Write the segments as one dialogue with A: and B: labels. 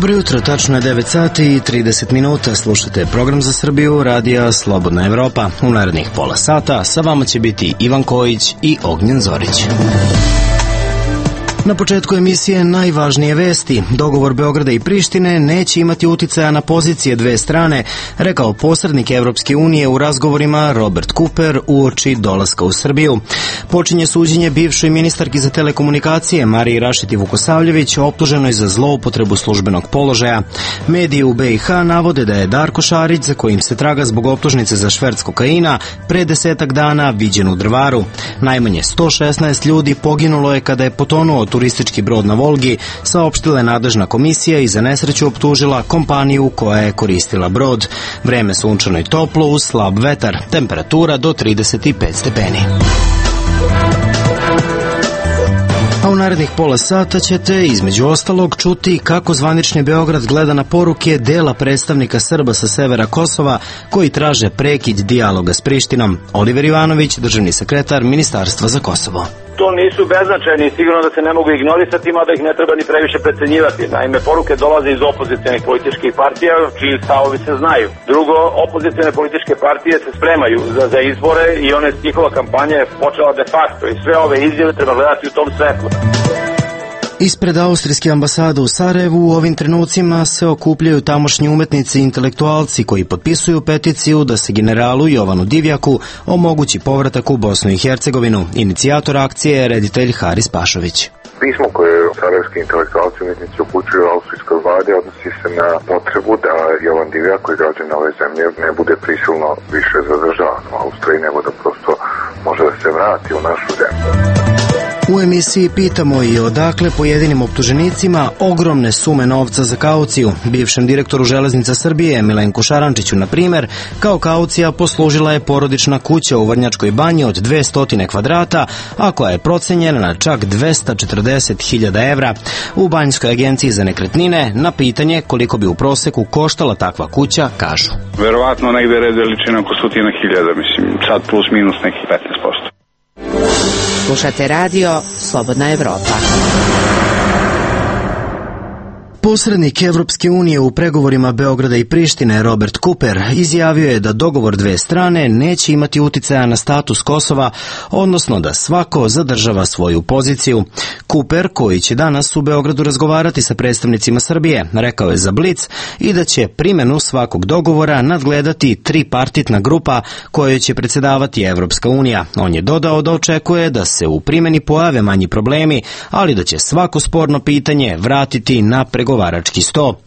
A: Dobro jutro, tačno je 9 sati i 30 minuta. Slušate program za Srbiju, radija Slobodna Evropa. U narednih pola sata sa vama će biti Ivan Kojić i Ognjen Zorić. Na početku emisije najvažnije vesti. Dogovor Beograda i Prištine neće imati uticaja na pozicije dve strane, rekao posrednik Evropske unije u razgovorima Robert Cooper uoči dolaska u Srbiju. Počinje suđenje bivšoj ministarki za telekomunikacije Mariji Rašeti Vukosavljević, optuženoj za zloupotrebu službenog položaja. Mediji u BiH navode da je Darko Šarić, za kojim se traga zbog optužnice za šverc kokaina, pre 10 dana viđen u Drvaru. Najmanje 116 ljudi poginulo je kada je potonuo turistički brod na Volgi, saopštila je nadležna komisija i za nesreću optužila kompaniju koja je koristila brod. Vreme sunčano i toplo uz slab vetar, temperatura do 35 stepeni. A u narednih pola sata ćete, između ostalog, čuti kako zvanični Beograd gleda na poruke dela predstavnika Srba sa severa Kosova koji traže prekid dijaloga s Prištinom. Oliver Ivanović, državni sekretar Ministarstva za Kosovo.
B: To nisu beznačajni, sigurno da se ne mogu ignorisati, mada ih ne treba ni previše precenjivati. Naime, poruke dolaze iz opozicionih političkih partija, čiji stavovi se znaju. Drugo, opozicione političke partije se spremaju za izbore i njihova kampanja je počela de facto i sve ove izjave treba gledati u tom svetlu.
A: Ispred austrijske ambasade u Sarajevu u ovim trenucima se okupljaju tamošnji umetnici i intelektualci koji potpisuju peticiju da se generalu Jovanu Divjaku omogući povratak u Bosnu i Hercegovinu. Inicijator akcije je reditelj Haris Pašović.
C: Pismo koje sarajevski intelektualci i umetnici upućuju austrijskoj vladi odnosi se na potrebu da Jovan Divjak, koji građan ove zemlje, ne bude prisilno više zadržavan u Austriji, nego da prosto može da se vrati u našu zemlju.
A: U emisiji pitamo i odakle pojedinim optuženicima ogromne sume novca za kauciju. Bivšem direktoru Železnica Srbije Milenku Šarančiću, na primjer, kao kaucija poslužila je porodična kuća u Vrnjačkoj banji od 200 kvadrata, a koja je procenjena na čak 240.000 evra. U Banjskoj agenciji za nekretnine na pitanje koliko bi u proseku koštala takva kuća kažu:
D: verovatno negde red veličina oko 100.000, mislim, sad plus minus nekih 15%.
E: Slušate radio Slobodna Evropa.
A: Posrednik Evropske unije u pregovorima Beograda i Prištine Robert Cooper izjavio je da dogovor dve strane neće imati uticaja na status Kosova, odnosno da svako zadržava svoju poziciju. Cooper, koji će danas u Beogradu razgovarati sa predstavnicima Srbije, rekao je za Blic i da će primjenu svakog dogovora nadgledati tripartitna grupa kojoj će predsjedavati Evropska unija. On je dodao da očekuje da se u primjeni pojave manji problemi, ali da će svako sporno pitanje vratiti na pregovarački sto.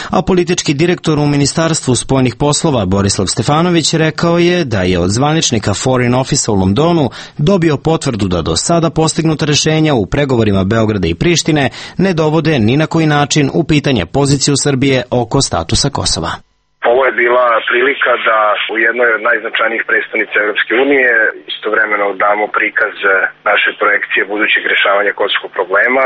A: A politički direktor u Ministarstvu spoljnih poslova Borislav Stefanović rekao je da je od zvaničnika Foreign Office u Londonu dobio potvrdu da do sada postignuta rješenja u pregovorima Beograda i Prištine ne dovode ni na koji način u pitanje poziciju Srbije oko statusa Kosova.
F: Ovo je bila prilika da u jednoj od najznačajnijih predstavnica Evropske unije istovremeno damo prikaz naše projekcije budućeg rješavanja kosovskog problema,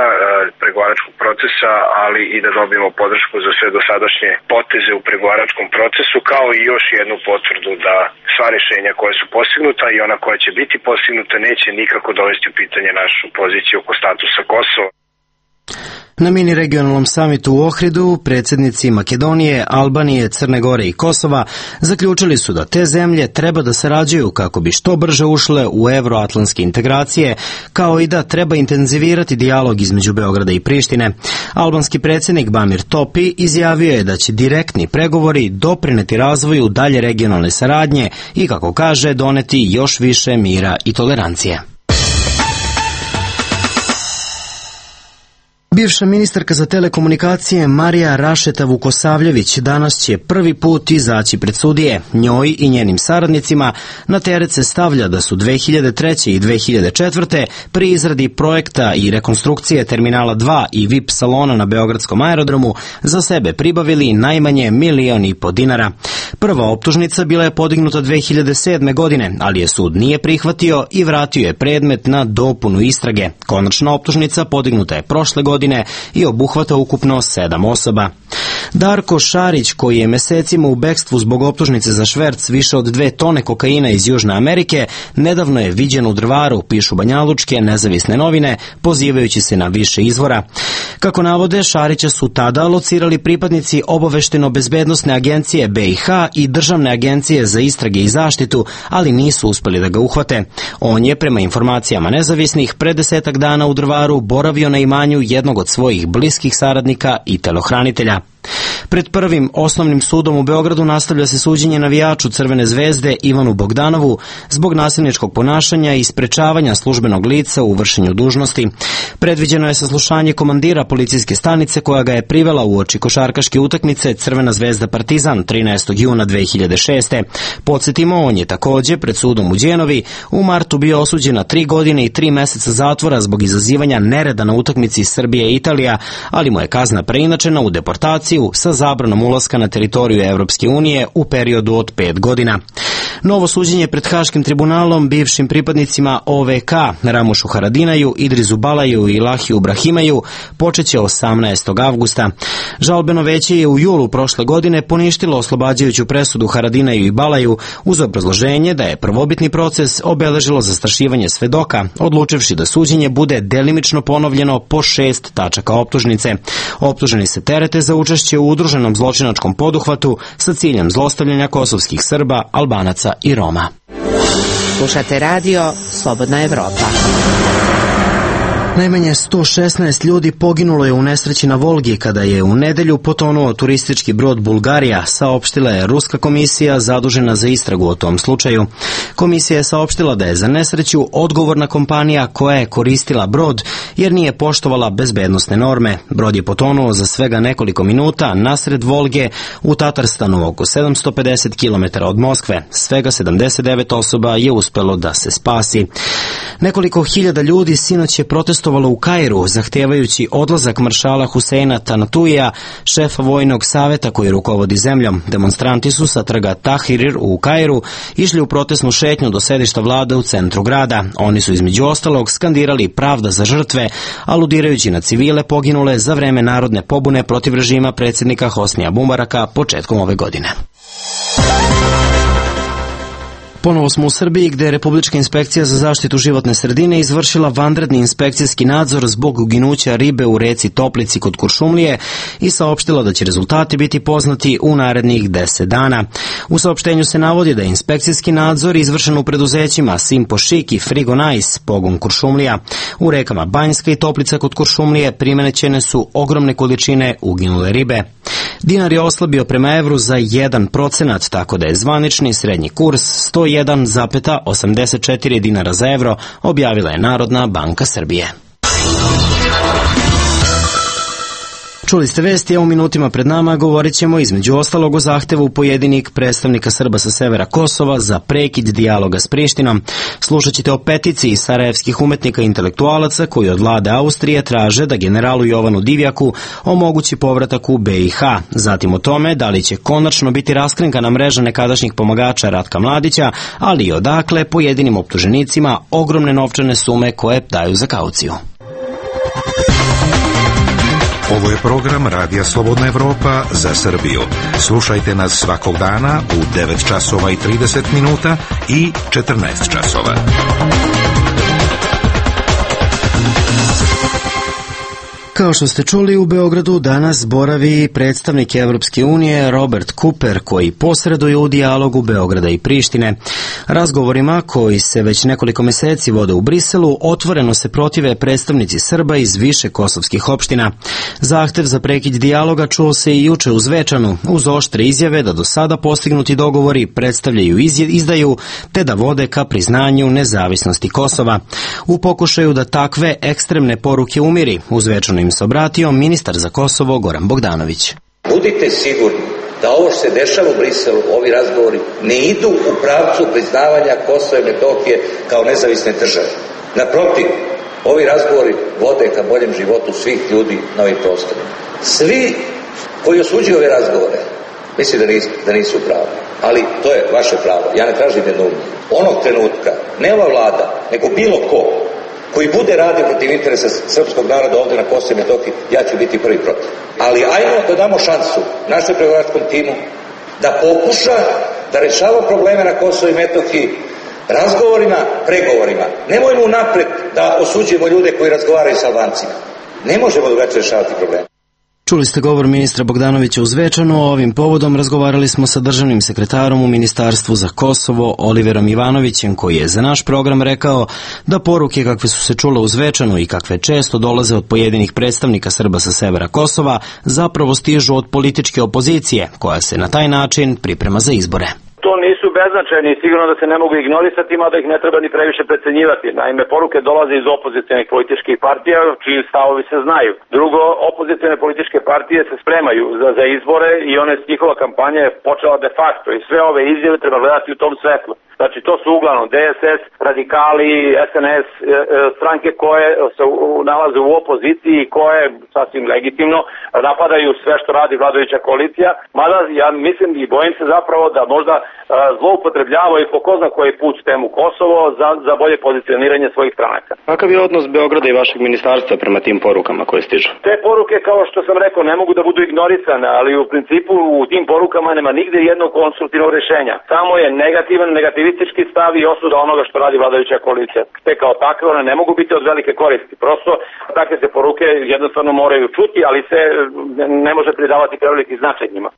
F: pregovaračkog procesa, ali i da dobijemo podršku za sve dosadašnje poteze u pregovaračkom procesu, kao i još jednu potvrdu da sva rješenja koja su postignuta i ona koja će biti postignuta neće nikako dovesti u pitanje našu poziciju oko statusa Kosova.
A: Na mini regionalnom samitu u Ohridu predsjednici Makedonije, Albanije, Crne Gore i Kosova zaključili su da te zemlje treba da sarađuju kako bi što brže ušle u euroatlantske integracije, kao i da treba intenzivirati dijalog između Beograda i Prištine. Albanski predsjednik Bamir Topi izjavio je da će direktni pregovori doprineti razvoju dalje regionalne saradnje i, kako kaže, doneti još više mira i tolerancije. Bivša ministarka za telekomunikacije Marija Rašeta Vukosavljević danas će prvi put izaći pred sudije. Njoj i njenim saradnicima na teret se stavlja da su 2003. i 2004. pri izradi projekta i rekonstrukcije Terminala 2 i VIP salona na Beogradskom aerodromu za sebe pribavili najmanje 1,5 miliona dinara. Prva optužnica bila je podignuta 2007. godine, ali je sud nije prihvatio i vratio je predmet na dopunu istrage. Konačna optužnica podignuta je prošle godine i obuhvata ukupno 7 osoba. Darko Šarić, koji je mesecima u bekstvu zbog optužnice za šverc više od 2 tone kokaina iz Južne Amerike, nedavno je viđen u Drvaru, pišu banjalučke nezavisne novine, pozivajući se na više izvora. Kako navode, Šarića su tada locirali pripadnici Obaveštajno-bezbednosne agencije BiH i Državne agencije za istrage i zaštitu, ali nisu uspeli da ga uhvate. On je, prema informacijama nezavisnih, pre 10 dana u Drvaru boravio na imanju jednog od svojih bliskih saradnika i telohranitelja. Pred Prvim osnovnim sudom u Beogradu nastavlja se suđenje navijaču Crvene zvezde Ivanu Bogdanovu zbog nasilničkog ponašanja i sprečavanja službenog lica u vršenju dužnosti. Predviđeno je saslušanje komandira policijske stanice koja ga je privela uoči košarkaške utakmice Crvena zvezda Partizan 13. juna 2006. Podsjetimo, on je takođe pred sudom u Đenovi u martu bio osuđen na 3 godine i 3 meseca zatvora zbog izazivanja nereda na utakmici Srbije i Italija, ali mu je kazna preinačena u deportaciju sa zabranom ulaska na teritoriju Evropske unije u periodu od 5 godina. Novo suđenje pred Haškim tribunalom bivšim pripadnicima OVK Ramušu Haradinaju, Idrizu Balaju i Lahiju Brahimaju počeće 18. avgusta. Žalbeno veće je u julu prošle godine poništilo oslobađajuću presudu Haradinaju i Balaju uz obrazloženje da je prvobitni proces obeležilo zastrašivanje svedoka, odlučivši da suđenje bude delimično ponovljeno po 6 tačaka optužnice. Optuženi se terete za učešće u udruženom zločinačkom poduhvatu sa ciljem zlostavljanja kosovskih Srba, Albanaca i Roma.
E: Slušate radio Slobodna Evropa.
A: Najmanje 116 ljudi poginulo je u nesreći na Volgi kada je u nedelju potonuo turistički brod Bulgarija, saopštila je Ruska komisija zadužena za istragu o tom slučaju. Komisija je saopštila da je za nesreću odgovorna kompanija koja je koristila brod jer nije poštovala bezbednosne norme. Brod je potonuo za svega nekoliko minuta nasred Volge u Tatarstanu, oko 750 km od Moskve. Svega 79 osoba je uspelo da se spasi. Nekoliko hiljada ljudi sinoć je protestovalo u Kairu, zahtevajući odlazak maršala Huseina Tanatuija, šefa vojnog saveta koji rukovodi zemljom. Demonstranti su sa trga Tahrir u Kairu išli u protestnu šetnju do sedišta vlade u centru grada. Oni su između ostalog skandirali pravda za žrtve, aludirajući na civile poginule za vreme narodne pobune protiv režima predsjednika Hosnija Mubaraka početkom ove godine. Ponovo smo u Srbiji gde je Republička inspekcija za zaštitu životne sredine izvršila vanredni inspekcijski nadzor zbog uginuća ribe u reci Toplici kod Kuršumlije i saopštila da će rezultati biti poznati u narednih 10 dana. U saopštenju se navodi da je inspekcijski nadzor izvršen u preduzećima Simpo Šik i Frigo Nice, pogon Kuršumlija. U rekama Banjska i Toplica kod Kuršumlije primećene su ogromne količine uginule ribe. Dinar je oslabio prema evru za 1%, tako da je zvanični srednji kurs 101,84 dinara za evro, objavila je Narodna banka Srbije. Čuli ste vesti, a u minutima pred nama govorit ćemo između ostalog o zahtevu pojedinih predstavnika Srba sa severa Kosova za prekid dijaloga s Prištinom. Slušat ćete o peticiji sarajevskih umetnika i intelektualaca koji od vlade Austrije traže da generalu Jovanu Divjaku omogući povratak u BiH. Zatim o tome da li će konačno biti raskrinkana mreža nekadašnjih pomagača Ratka Mladića, ali i odakle pojedinim optuženicima ogromne novčane sume koje daju za kauciju.
G: Ovo je program Radija Slobodna Evropa za Srbiju. Slušajte nas svakog dana u 9 časova i 30 minuta i 14 časova.
A: Kao što ste čuli, u Beogradu danas boravi predstavnik Evropske unije Robert Cooper, koji posreduje u dijalogu Beograda i Prištine. Razgovorima, koji se već nekoliko meseci vode u Briselu, otvoreno se protive predstavnici Srba iz više kosovskih opština. Zahtev za prekid dijaloga čuo se i juče u Zvečanu, uz oštre izjave da do sada postignuti dogovori predstavljaju izdaju, te da vode ka priznanju nezavisnosti Kosova. U pokušaju da takve ekstremne poruke umiri, u Zvečanu im se obratio ministar za Kosovo Goran Bogdanović.
H: Budite sigurni da ovo što se dešava u Briselu, ovi razgovori, ne idu u pravcu priznavanja Kosova i Metohije kao nezavisne države. Naprotiv, ovi razgovori vode ka boljem životu svih ljudi na ovim prostorima. Svi koji osuđuju ove razgovore, mislim da nisu pravi, ali to je vaše pravo, ja ne tražim jednoumlje. Onog trenutka, ne ova vlada, nego bilo ko koji bude radio protiv interesa srpskog naroda ovdje na Kosovu i Metohiji, ja ću biti prvi protiv. Ali ajmo da damo šansu našem pregovaračkom timu da pokuša da rešava probleme na Kosovu i Metohiji razgovorima, pregovorima. Nemojmo napred da osuđujemo ljude koji razgovaraju sa Albancima. Ne možemo drugačije rješavati probleme.
A: Čuli ste govor ministra Bogdanovića u Zvečanu. Ovim povodom razgovarali smo sa državnim sekretarom u Ministarstvu za Kosovo Oliverom Ivanovićem, koji je za naš program rekao da poruke kakve su se čule u Zvečanu i kakve često dolaze od pojedinih predstavnika Srba sa severa Kosova zapravo stižu od političke opozicije, koja se na taj način priprema za izbore.
B: To nisu beznačajni i sigurno da se ne mogu ignorisati, mada ih ne treba ni previše precenjivati. Naime, poruke dolaze iz opozicionih političkih partija, čiji stavovi se znaju. Drugo, opozicione političke partije se spremaju za izbore i njihova kampanja je počela de facto i sve ove izjave treba gledati u tom svetlu. Znači, to su uglavnom DSS, radikali, SNS, stranke koje se nalaze u opoziciji i koje, sasvim legitimno, napadaju sve što radi vladajuća koalicija. Mada, ja mislim i bojim se zapravo da možda zloupotrebljavaju po ko zna koji put temu Kosovo za bolje pozicioniranje svojih stranaka.
I: Kakav je odnos Beograda i vašeg ministarstva prema tim porukama koje stižu?
B: Te poruke, kao što sam rekao, ne mogu da budu ignorisane, ali u principu u tim porukama nema nigde jednog konstruktivnog rješenja. Samo je negativistički stav i osuda onoga što radi vladajuća koalicija. Te kao takve one ne mogu biti od velike koristi. Prosto takve se poruke jednostavno moraju čuti, ali se ne može pridavati preveliki značaj njima.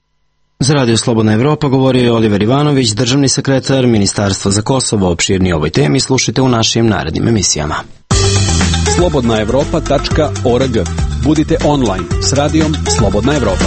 A: Za Radio Slobodna Evropa govorio je Oliver Ivanović, državni sekretar Ministarstva za Kosovo. Opširnije o ovoj temi slušajte u našim narednim emisijama.
J: slobodnaevropa.org. Budite online s radijom Slobodna Evropa.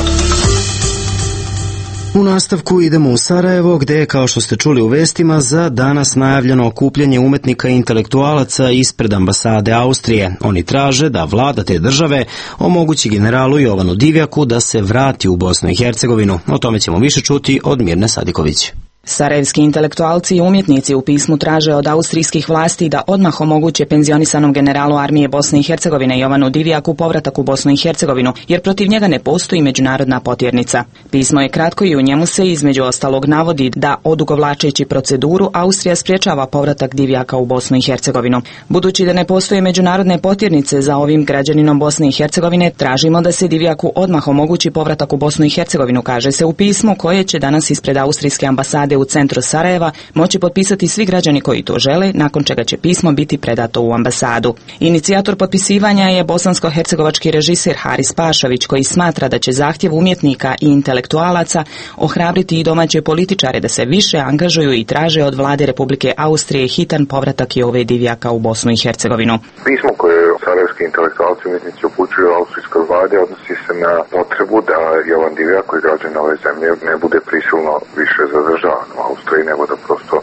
A: U nastavku idemo u Sarajevo, gde je, kao što ste čuli u vestima, za danas najavljeno okupljanje umetnika i intelektualaca ispred ambasade Austrije. Oni traže da vlada te države omogući generalu Jovanu Divjaku da se vrati u Bosnu i Hercegovinu. O tome ćemo više čuti od Mirne Sadiković.
K: Sarajevski intelektualci i umjetnici u pismu traže od austrijskih vlasti da odmah omoguće penzionisanom generalu armije Bosne i Hercegovine Jovanu Divjaku povratak u Bosnu i Hercegovinu, jer protiv njega ne postoji međunarodna potjernica. Pismo je kratko i u njemu se između ostalog navodi da, odugovlačeći proceduru, Austrija sprječava povratak Divjaka u Bosnu i Hercegovinu. Budući da ne postoje međunarodne potjernice za ovim građaninom Bosne i Hercegovine, tražimo da se Divjaku odmah omogući povratak u Bosnu i Hercegovinu, kaže se u pismu koje će danas ispred austrijske ambasade u centru Sarajeva moći potpisati svi građani koji to žele, nakon čega će pismo biti predato u ambasadu. Inicijator potpisivanja je bosansko-hercegovački režiser Haris Pašović, koji smatra da će zahtjev umjetnika i intelektualaca ohrabriti i domaće političare da se više angažuju i traže od vlade Republike Austrije hitan povratak Jove Divjaka u Bosnu i Hercegovinu.
C: Pismo koje sarajevski intelektualci umjetnici upućuju austrijskoj vladi odnosi se na potrebu da Jovan Divjak, koji građan ove zemlje, ne bude prisilno više zadržavan u Austriji, nego da prosto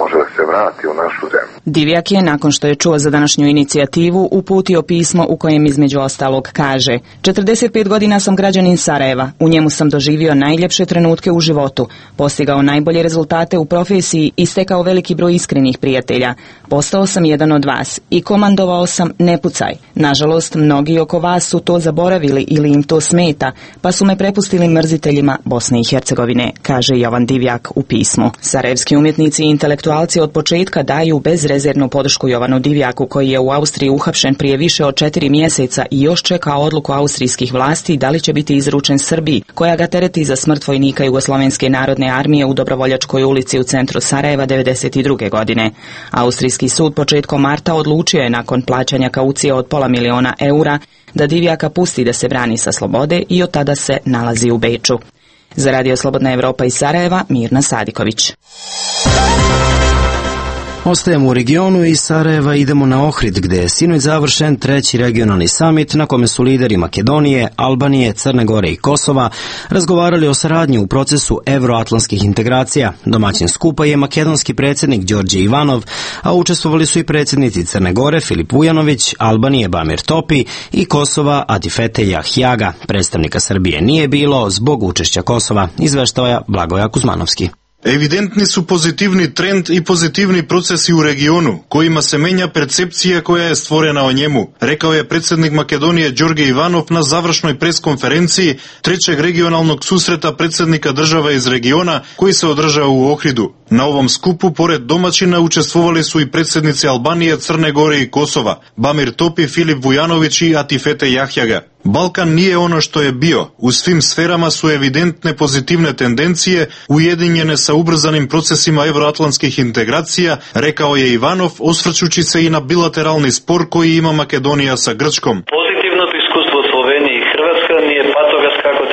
C: može da se vrati u našu zemlju.
K: Divjak je, nakon što je čuo za današnju inicijativu, uputio pismo u kojem između ostalog kaže: 45 godina sam građanin Sarajeva, u njemu sam doživio najljepše trenutke u životu, postigao najbolje rezultate u profesiji i stekao veliki broj iskrenih prijatelja. Postao sam jedan od vas i komandovao sam ne pucaj. Nažalost, mnogi oko vas su to zaboravili ili im to smeta, pa su me prepustili mrziteljima Bosne i Hercegovine, kaže Jovan Divjak u pismu. Sarajevski umjetnici i intelektualci od početka daju bezrezervnu podršku Jovanu Divjaku, koji je u Austriji uhapšen prije više od 4 mjeseca i još čeka odluku austrijskih vlasti da li će biti izručen Srbiji, koja ga tereti za smrt vojnika Jugoslovenske narodne armije u Dobrovoljačkoj ulici u centru Sarajeva 1992. godine. Austrijski sud početkom marta odlučio je, nakon plaćanja kaucije od $500.000 eura, da Divjaka pusti da se brani sa slobode i od tada se nalazi u Beču. Za Radio Slobodna Evropa iz Sarajeva, Mirna Sadiković.
A: Ostajemo u regionu i iz Sarajeva idemo na Ohrid, gde je sinoć završen 3. regionalni samit na kome su lideri Makedonije, Albanije, Crne Gore i Kosova razgovarali o saradnji u procesu evroatlantskih integracija. Domaćin skupa je makedonski predsjednik Đorđe Ivanov, a učestvovali su i predsjednici Crne Gore Filip Vujanović, Albanije Bamir Topi i Kosova Atifete Jahjaga. Predstavnika Srbije nije bilo zbog učešća Kosova, izveštaja Blagoja Kuzmanovski.
L: Evidentni su pozitivni trend i pozitivni procesi u regionu, kojima se menja percepcija koja je stvorena o njemu, rekao je predsjednik Makedonije Đorđe Ivanov na završnoj preskonferenciji 3. regionalnog susreta predsjednika država iz regiona koji se održao u Ohridu. Na ovom skupu, pored domaćina, učestvovali su i predsjednici Albanije, Crne Gore i Kosova, Bamir Topi, Filip Vujanović i Atifete Jahjaga. Balkan nije ono što je bio. U svim sferama su evidentne pozitivne tendencije, ujedinjene sa ubrzanim procesima evroatlantskih integracija, rekao je Ivanov, osvrćući se i na bilateralni spor koji ima Makedonija sa Grčkom.
M: Pozitivna diskusija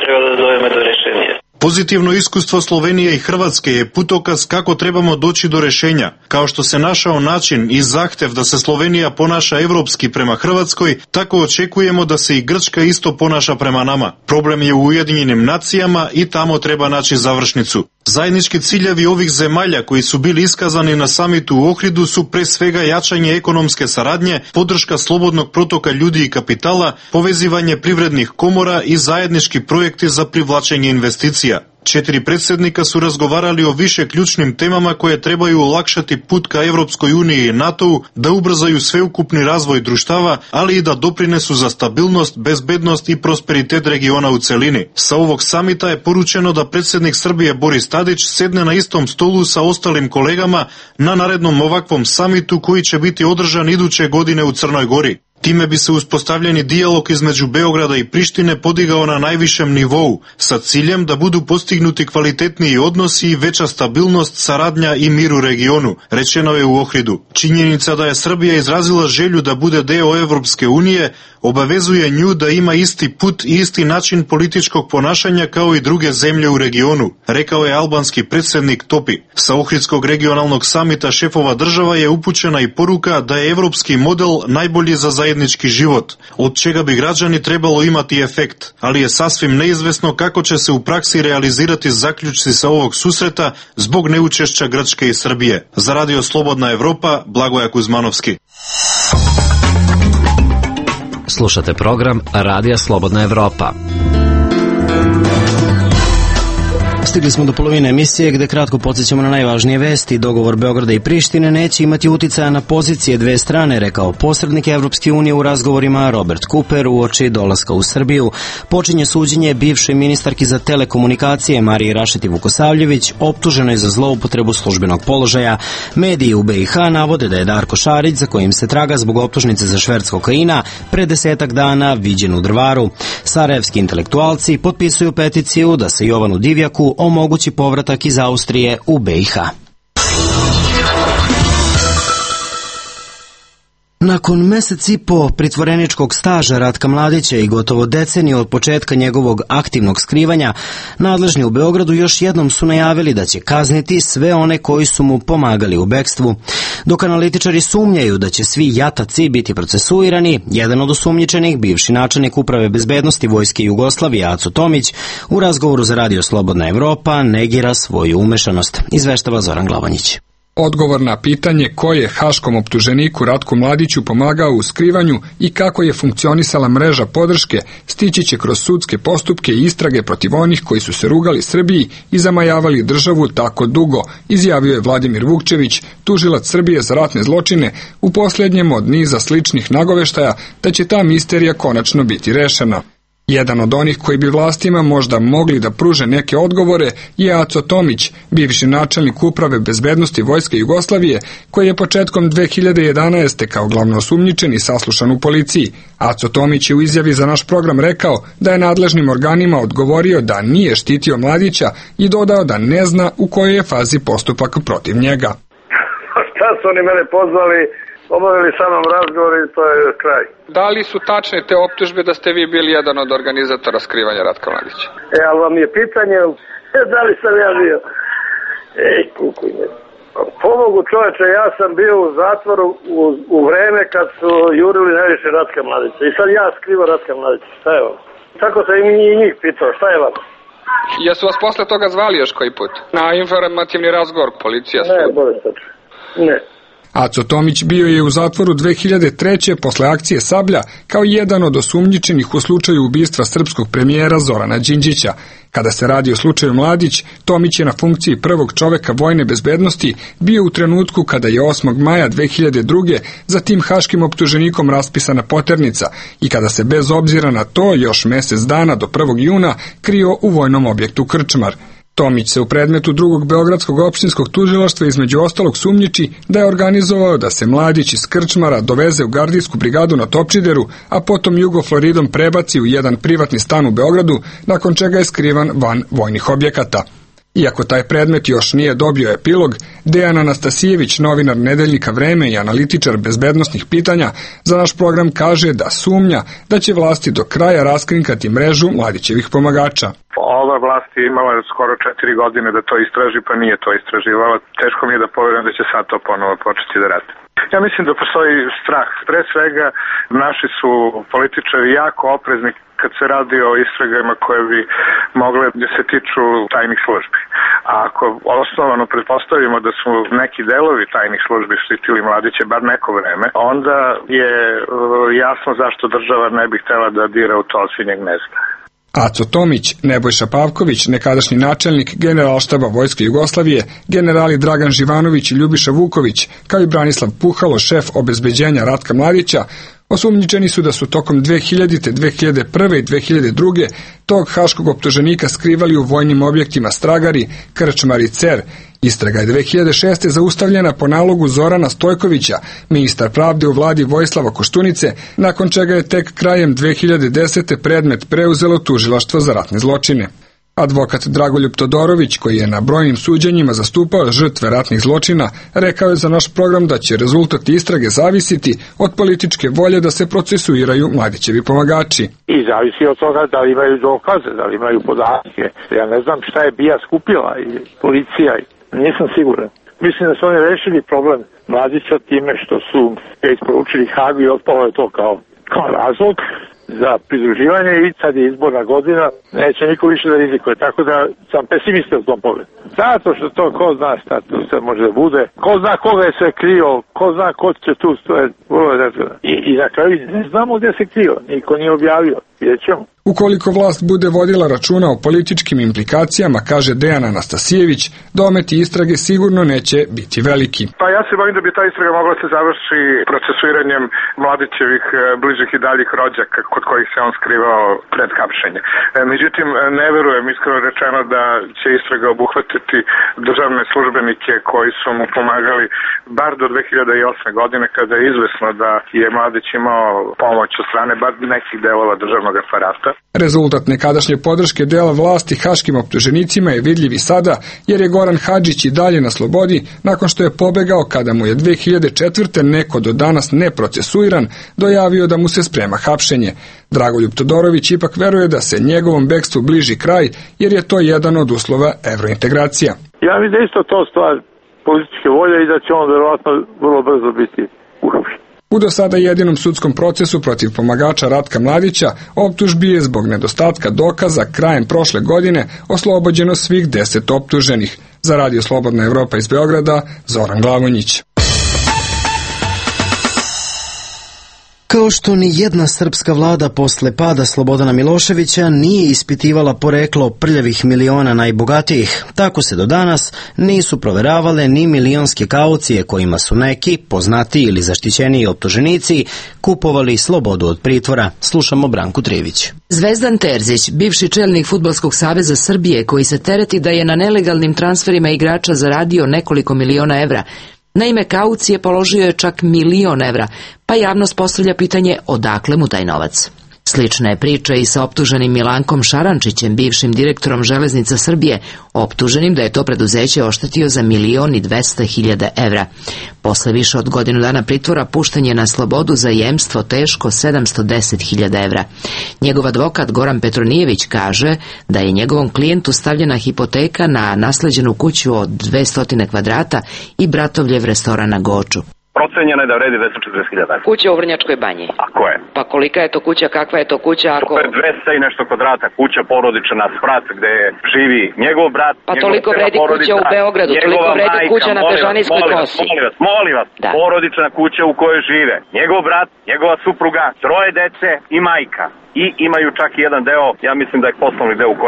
M: treba da dojeme do rešenja.
L: Pozitivno iskustvo Slovenije i Hrvatske je putokaz kako trebamo doći do rešenja. Kao što se našao način i zahtev da se Slovenija ponaša evropski prema Hrvatskoj, tako očekujemo da se i Grčka isto ponaša prema nama. Problem je u Ujedinjenim nacijama i tamo treba naći završnicu. Zajednički ciljevi ovih zemalja koji su bili iskazani na samitu u Ohridu su pre svega jačanje ekonomske saradnje, podrška slobodnog protoka ljudi i kapitala, povezivanje privrednih komora i zajednički projekti za privlačenje investicija. 4 predsjednika su razgovarali o više ključnim temama koje trebaju olakšati put ka Evropskoj uniji i NATO-u, da ubrzaju sveukupni razvoj društava, ali i da doprinesu za stabilnost, bezbednost i prosperitet regiona u celini. Sa ovog samita je poručeno da predsjednik Srbije Boris Tadić sedne na istom stolu sa ostalim kolegama na narednom ovakvom samitu koji će biti održan iduće godine u Crnoj Gori. Time bi se uspostavljeni dijalog između Beograda i Prištine podigao na najvišem nivou, sa ciljem da budu postignuti kvalitetniji odnosi i veća stabilnost, saradnja i mir u regionu, rečeno je u Ohridu. Činjenica da je Srbija izrazila želju da bude deo Evropske unije obavezuje nju da ima isti put i isti način političkog ponašanja kao i druge zemlje u regionu, rekao je albanski predsjednik Topi. Sa Ohridskog regionalnog samita šefova država je upućena i poruka da je evropski model najbolji za zajednički život, od čega bi građani trebalo imati efekt, ali je sasvim neizvesno kako će se u praksi realizirati zaključci sa ovog susreta zbog neučešća Grčke i Srbije. Za Radio Slobodna Evropa, Blagoja Kuzmanovski.
N: Slušate program Radija Slobodna Evropa.
A: Stigli smo do polovine emisije gde kratko podsjećamo na najvažnije vesti. Dogovor Beograda i Prištine neće imati uticaja na pozicije dve strane, rekao posrednik Evropske unije u razgovorima Robert Cooper uoči dolaska u Srbiju. Počinje suđenje bivšoj ministarki za telekomunikacije Mariji Rašeti Vukosavljević, optuženoj za zloupotrebu službenog položaja. Mediji u BiH navode da je Darko Šarić, za kojim se traga zbog optužnice za šverc kokaina, pre 10 dana viđen u Drvaru. Sarajevski intelektualci potpisuju peticiju da se Jovanu Divjaku omogući povratak iz Austrije u BiH. Nakon mesec i po pritvoreničkog staža Ratka Mladića i gotovo deceniju od početka njegovog aktivnog skrivanja, nadležni u Beogradu još jednom su najavili da će kazniti sve one koji su mu pomagali u bekstvu. Dok analitičari sumnjaju da će svi jataci biti procesuirani, jedan od osumnjičenih, bivši načelnik Uprave bezbednosti Vojske Jugoslavije Aco Tomić, u razgovoru za Radio Slobodna Evropa negira svoju umešanost, izveštava Zoran Glavanjić.
O: Odgovor na pitanje ko je haškom optuženiku Ratku Mladiću pomagao u skrivanju i kako je funkcionisala mreža podrške stići će kroz sudske postupke i istrage protiv onih koji su se rugali Srbiji i zamajavali državu tako dugo, izjavio je Vladimir Vukčević, tužilac Srbije za ratne zločine, u posljednjem od niza sličnih nagoveštaja da će ta misterija konačno biti rešena. Jedan od onih koji bi vlastima možda mogli da pruže neke odgovore je Aco Tomić, bivši načelnik Uprave bezbednosti Vojske Jugoslavije, koji je početkom 2011. kao glavno osumnjičen i saslušan u policiji. Aco Tomić je u izjavi za naš program rekao da je nadležnim organima odgovorio da nije štitio Mladića i dodao da ne zna u kojoj je fazi postupak protiv njega.
P: Šta su oni mene pozvali? Obavili sa mnom razgovor i to je kraj.
O: Da li su tačne te optužbe da ste vi bili jedan od organizatora skrivanja Ratka Mladića?
P: Ali vam je pitanje da li sam ja bio? Kukuj me. Pomogu čoveče, ja sam bio u zatvoru u vreme kad su jurili najviše Ratka Mladića. I sad ja skrivo Ratka Mladića. Šta je vam? Tako sam i njih pitao. Šta je vam?
O: Jesu vas posle toga zvali još koji put? Na informativni razgovor policija?
P: Ne, bolje sače. Ne.
O: Aco Tomić bio je u zatvoru 2003. posle akcije Sablja kao jedan od osumnjičenih u slučaju ubistva srpskog premijera Zorana Đinđića. Kada se radi o slučaju Mladić, Tomić je na funkciji prvog čoveka vojne bezbednosti bio u trenutku kada je 8. maja 2002. za tim haškim optuženikom raspisana poternica i kada se bez obzira na to još mesec dana do 1. juna krio u vojnom objektu Krčmar. Tomić se u predmetu drugog beogradskog opštinskog tužilaštva između ostalog sumnjiči da je organizovao da se Mladić iz Krčmara doveze u gardijsku brigadu na Topčideru, a potom Jugofloridom prebaci u jedan privatni stan u Beogradu, nakon čega je skrivan van vojnih objekata. Iako taj predmet još nije dobio epilog, Dejan Anastasijević, novinar Nedeljnika Vreme i analitičar bezbednosnih pitanja, za naš program kaže da sumnja da će vlasti do kraja raskrinkati mrežu Mladićevih pomagača.
C: Ova vlast je imala skoro 4 godine da to istraži, pa nije to istraživala. Teško mi je da poverujem da će sad to ponovo početi da radi. Ja mislim da postoji strah. Pre svega, naši su političari jako oprezni kad se radi o istragama koje bi mogle da se tiču tajnih službi. A ako osnovano pretpostavimo da su neki delovi tajnih službi štitili Mladića bar neko vreme, onda je jasno zašto država ne bi htela da dira u to osinjeg gnezda.
O: Aco Tomić, Nebojša Pavković, nekadašnji načelnik Generalštaba Vojske Jugoslavije, generali Dragan Živanović i Ljubiša Vuković, kao i Branislav Puhalo, šef obezbeđenja Ratka Mladića, osumnjičeni su da su tokom 2000., 2001. i 2002. tog haškog optuženika skrivali u vojnim objektima Stragari, Krčmar i Cer. Istraga je 2006. zaustavljena po nalogu Zorana Stojkovića, ministar pravde u vladi Vojislava Koštunice, nakon čega je tek krajem 2010. predmet preuzelo tužilaštvo za ratne zločine. Advokat Dragoljub Todorović, koji je na brojnim suđenjima zastupao žrtve ratnih zločina, rekao je za naš program da će rezultat istrage zavisiti od političke volje da se procesuiraju Mladićevi pomagači.
M: I zavisi od toga da li imaju dokaze, da li imaju podatke. Ja ne znam šta je BIA skupila i policija, nisam siguran. Mislim da su oni rešili problem Mladića time što su ga isporučili Hagu i otpalo je to kao razlog za pridruživanje i sad je izborna godina, neće niko više da rizikuje, tako da sam pesimista u tom pogledu. Zato što to ko zna šta tu sve može da bude, ko zna koga je sve krio, ko zna ko će tu stojati, i na kraju ne znamo gdje se krio, niko nije objavio, vidjet ćemo.
O: Ukoliko vlast bude vodila računa o političkim implikacijama, kaže Dejan Anastasijević, dometi istrage sigurno neće biti veliki.
C: Pa ja se bojim da bi ta istraga mogla se završi procesuiranjem Mladićevih bližih i daljih rođaka kod kojih se on skrivao pred hapšenje. Međutim, ne verujem, iskreno rečeno, da će istraga obuhvatiti državne službenike koji su mu pomagali bar do 2008. godine, kada je izvesno da je Mladić imao pomoć od strane bar nekih delova državnog aparata.
O: Rezultat nekadašnje podrške dela vlasti haškim optuženicima je vidljiv i sada, jer je Goran Hadžić i dalje na slobodi nakon što je pobegao kada mu je 2004. neko do danas neprocesuiran dojavio da mu se sprema hapšenje. Dragoljub Todorović ipak veruje da se njegovom bekstvu bliži kraj, jer je to jedan od uslova evrointegracija.
M: Ja mislim da isto to stvar političke volje i da će on verovatno vrlo brzo biti uhapšen.
O: U do sada jedinom sudskom procesu protiv pomagača Ratka Mladića optužbi je zbog nedostatka dokaza krajem prošle godine oslobođeno svih 10 optuženih. Za Radio Slobodna Evropa iz Beograda, Zoran Glavonjić.
A: Kao što ni jedna srpska vlada posle pada Slobodana Miloševića nije ispitivala poreklo prljavih miliona najbogatijih, tako se do danas nisu proveravale ni milionske kaucije kojima su neki, poznatiji ili zaštićeniji optuženici, kupovali slobodu od pritvora. Slušamo Branku Trivić.
Q: Zvezdan Terzić, bivši čelnik Fudbalskog saveza Srbije, koji se tereti da je na nelegalnim transferima igrača zaradio nekoliko miliona evra, na ime kaucije položio je čak 1.000.000 evra, pa javnost postavlja pitanje odakle mu taj novac. Slična je priča i sa optuženim Milankom Šarančićem, bivšim direktorom Železnica Srbije, optuženim da je to preduzeće oštetio za 1.200.000 evra. Posle više od godinu dana pritvora pušten je na slobodu za jemstvo teško 710.000 evra. Njegov advokat Goran Petronijević kaže da je njegovom klijentu stavljena hipoteka na nasleđenu kuću od 200 kvadrata i Bratovljev restoran na Goču.
B: Procenjeno je da vredi 240.000.
Q: Kuća u Vrnjačkoj banji.
B: A ko je?
Q: Pa kolika je to kuća, kakva je to kuća ako...
B: To je 200 i nešto kvadrata, kuća porodična, sprat gde živi njegov brat.
Q: Pa toliko vredi kuća u Beogradu, toliko vredi kuća na Bežanijskoj kosi.
B: Molim vas, porodična kuća u kojoj žive njegov brat, njegova supruga, 3 dece i majka. I imaju čak i jedan deo, ja mislim da je poslovni deo u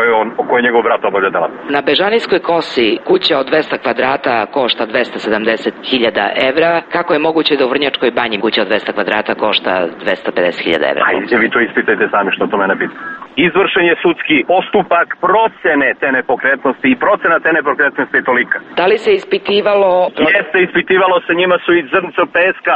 B: kojoj njegov brat obavlja delatnost.
Q: Na Bežanijskoj kosi kuća od 200 kvadrata košta 270.000 evra. Kako je moguće da u Vrnjačkoj banji kuća od 200 kvadrata košta 250.000 evra?
B: Ajde, vi to ispitajte sami što to mene pita. Izvršen je sudski postupak procene te nepokretnosti i procena te nepokretnosti je tolika.
Q: Da li se ispitivalo...
B: Jeste, ispitivalo se, njima su iz zrnca peska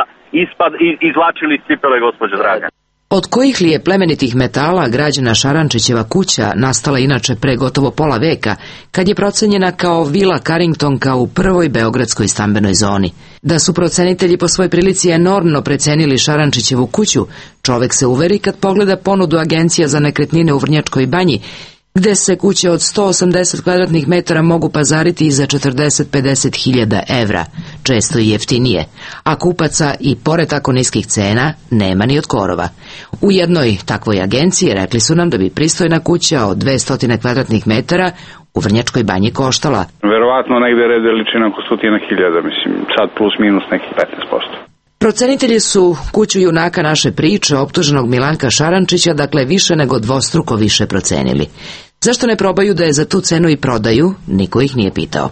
B: izvlačili iz cipele, gospođo draga.
Q: Od kojih li je plemenitih metala građena Šarančićeva kuća, nastala inače pre gotovo pola veka, kad je procenjena kao vila Carringtonka u prvoj beogradskoj stambenoj zoni? Da su procenitelji po svoj prilici enormno precenili Šarančićevu kuću, čovek se uveri kad pogleda ponudu agencija za nekretnine u Vrnjačkoj Banji, gde se kuće od 180 kvadratnih metara mogu pazariti i za 40-50 hiljada evra, često i jeftinije, a kupaca i pored tako niskih cena nema ni od korova. U jednoj takvoj agenciji rekli su nam da bi pristojna kuća od 200 kvadratnih metara u Vrnjačkoj Banji koštala.
D: Verovatno negde red veličina oko 100.000, mislim, sad plus minus nekih 15%.
Q: Procenitelji su kuću junaka naše priče, optuženog Milanka Šarančića, dakle više nego dvostruko više procenili. Zašto ne probaju da je za tu cenu i prodaju, niko ih nije pitao.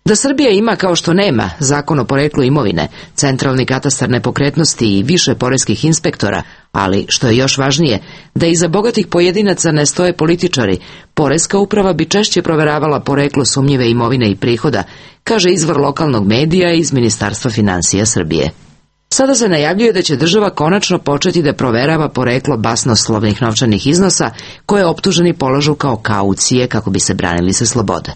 Q: Da Srbija ima, kao što nema, zakon o poreklu imovine, centralni katastar nepokretnosti i više poreskih inspektora, ali, što je još važnije, da iza bogatih pojedinaca ne stoje političari, poreska uprava bi češće proveravala poreklo sumnjive imovine i prihoda, kaže izvor lokalnog medija iz Ministarstva finansija Srbije. Sada se najavljuje da će država konačno početi da proverava poreklo basnoslovnih novčanih iznosa koje optuženi polažu kao kaucije kako bi se branili sa slobode.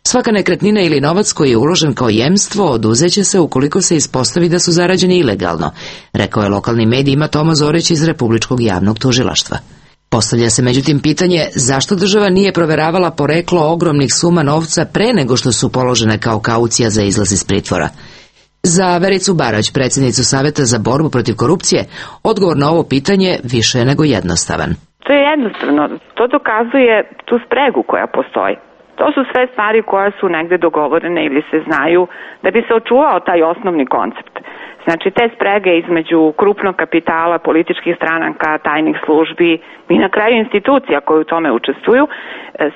Q: Svaka nekretnina ili novac koji je uložen kao jemstvo oduzeće se ukoliko se ispostavi da su zarađeni ilegalno, rekao je lokalnim medijima Toma Zorić iz Republičkog javnog tužilaštva. Postavlja se međutim pitanje zašto država nije proveravala poreklo ogromnih suma novca pre nego što su položene kao kaucija za izlaz iz pritvora. Za Vericu Barać, predsjednicu Saveta za borbu protiv korupcije, odgovor na ovo pitanje više je nego jednostavan.
R: To je jednostavno. To dokazuje tu spregu koja postoji. To su sve stvari koje su negde dogovorene ili se znaju da bi se očuvao taj osnovni koncept. Znači, te sprege između krupnog kapitala, političkih stranaka, tajnih službi i na kraju institucija koje u tome učestvuju,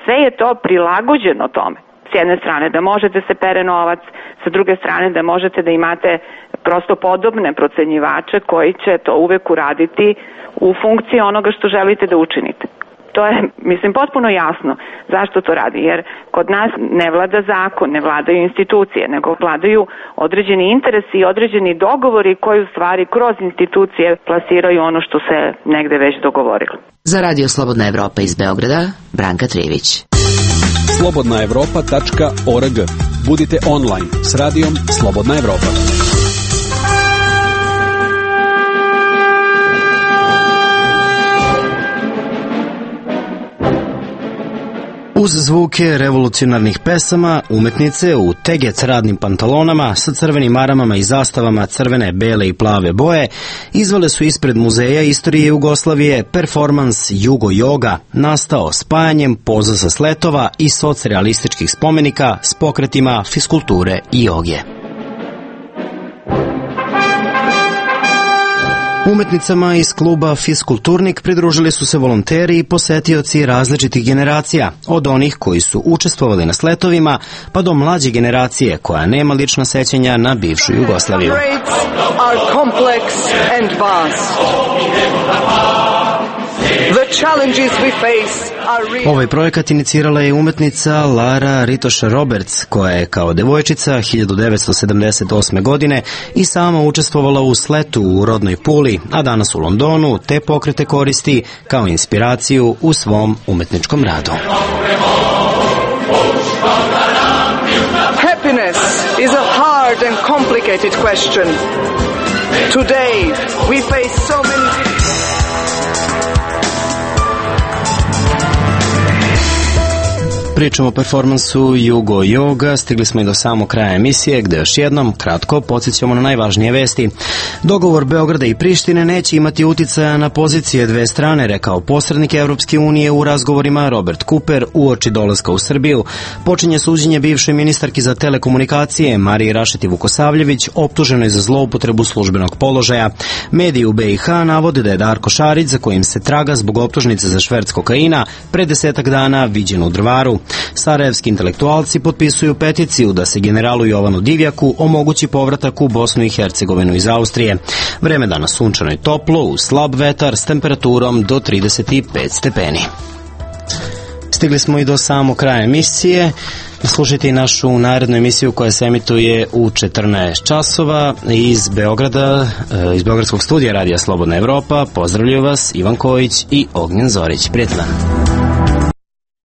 R: sve je to prilagođeno tome. S jedne strane da možete se pere novac, sa druge strane da možete da imate prosto podobne procenjivače koji će to uvek uraditi u funkciji onoga što želite da učinite. To je, mislim, potpuno jasno zašto to radi, jer kod nas ne vlada zakon, ne vladaju institucije, nego vladaju određeni interesi i određeni dogovori koji u stvari kroz institucije plasiraju ono što se negde već dogovorilo.
Q: Za Radio Slobodna Evropa iz Beograda, Branka Trivić.
J: slobodnaevropa.org. Budite online s radijom Slobodna Evropa.
A: Uz zvuke revolucionarnih pesama, umetnice u tegec radnim pantalonama sa crvenim maramama i zastavama crvene, bele i plave boje izvale su ispred Muzeja istorije Jugoslavije performans Jugo Yoga, nastao spajanjem poza sa sletova i socrealističkih spomenika s pokretima fiskulture i joge. Umetnicama iz kluba Fiskulturnik pridružili su se volonteri i posetioci različitih generacija, od onih koji su učestvovali na sletovima, pa do mlađe generacije koja nema lična sećanja na bivšu Jugoslaviju. Ovaj projekat inicirala je umetnica Lara Ritoša Roberts, koja je kao devojčica 1978. godine i sama učestvovala u sletu u rodnoj Puli, a danas u Londonu te pokrete koristi kao inspiraciju u svom umetničkom radu.
S: Happiness is a hard and complicated question. Today we face so many
A: Pričamo o performansu Jugo Yoga, stigli smo i do samog kraja emisije, gde još jednom kratko podsjećamo na najvažnije vesti. Dogovor Beograda i Prištine neće imati uticaja na pozicije dve strane, rekao posrednik Evropske unije u razgovorima Robert Cooper uoči dolaska u Srbiju. Počinje suđenje bivšoj ministarki za telekomunikacije Mariji Rašeti Vukosavljević, optuženoj za zloupotrebu službenog položaja. Mediji u BiH navode da je Darko Šarić, za kojim se traga zbog optužnice za šverc kokaina, pre 10 dana viđen u Drvaru. Sarajevski intelektualci potpisuju peticiju da se generalu Jovanu Divjaku omogući povratak u Bosnu i Hercegovinu iz Austrije. Vreme danas sunčano i toplo, uz slab vetar s temperaturom do 35 stepeni. stigli smo i do samog kraja emisije. Slušajte i našu narednu emisiju koja se emituje u 14 časova iz Beograda, iz Beogradskog studija Radija Slobodna Evropa. Pozdravljaju vas Ivan Kojić i Ognjen Zorić. Prijatno dan.